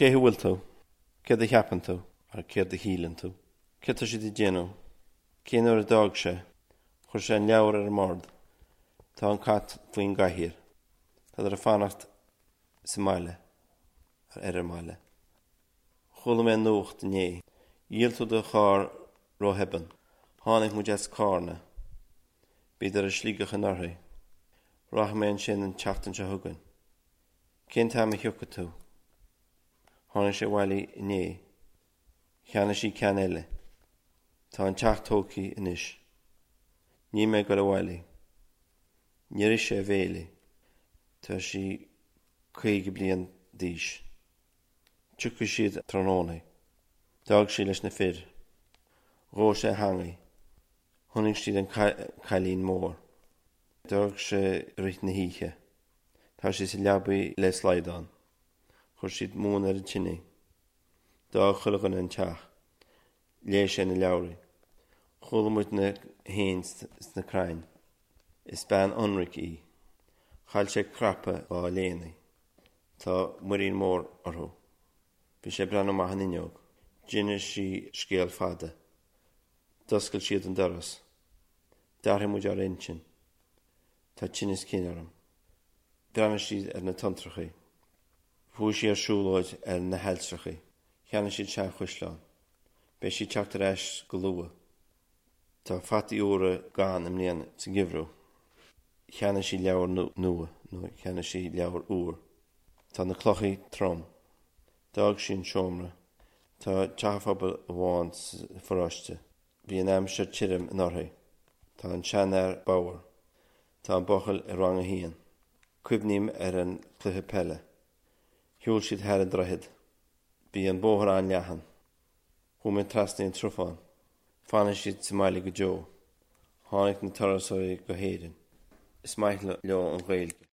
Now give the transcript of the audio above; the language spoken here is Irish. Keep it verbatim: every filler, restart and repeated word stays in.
Cé hé bhfuil tú? Céard a cheapann tú ar céard a shíleann tú? Cé tá siad ag déanamh? Cén uair a d'fhág sé? Chuir sé an leabhar ar an mbord. Tá an cat faoin gcathaoir. Tá ag fanacht sa mbaile ar an mbaile. Chuala mé nuacht inné. Dhíol tú do charr róthobann. Tháinig muid as Carna. Bhíodar i Sligeach anuraidh. Rachaidh mé ansin an tseachtain seo chugainn. Cén t-am a thiocfaidh tú? Tháinig sé abhaile inné. Cheannaigh sí ceann eile. Tá an teach tógtha anois. Níl mé ag dul abhaile. Níor ith sé a bhéile. Tá sí caoga bliain d'aois. Tiocfaidh siad tráthnóna. D'fhág sí leis na fir. Dhóigh sé a theanga. Chonaic siad an cailín mór. D'fhág sé i rith na hoíche. Tá sé sa leabaidh le slaghdán. Chuir siad móin ar an tine. D'fhág chuile dhuine an teach. Léigh sé na leabhraí. Chuala muid na héin sna crainn. Is bean ionraic í. Chaill sé cnaipe dá léine. Tá muirín mór orthu. Bhí sé ag breathnú amach an fhuinneog. D'inis sí scéal fada. D'oscail siad an doras. D'athraigh muid ár intinn. Tá tinneas cinn orm. Bhreathnaigh siad ar na tonntrachaí. Chuaigh sí ar siúlóid ar na hailltreachaí. Cheannaigh siad seanchaisleán. Beidh sí ag teacht ar ais go luath. Tá fataí úra gann i mbliana sa gheimhreadh. Cheannaigh sí leabhar nua nó cheannaigh sí leabhar úr. Tá na clocha trom. D'fhág sí an seomra. Tá teach pobail amháin sa pharóiste. Bhí an aimsir tirim anuraidh. Tá an seanfhear bodhar. Tá an buachaill i rang a haon. Cuimhním ar an cluiche peile. Shiúil siad thar an droichead. Bhí an bóthar an-leathan. Chuaigh mé trasna an tsrutháin. Fanfaidh siad sa mbaile go deo. Tháinig na turasóirí go hÉirinn. Is maith leo an Ghaeilge.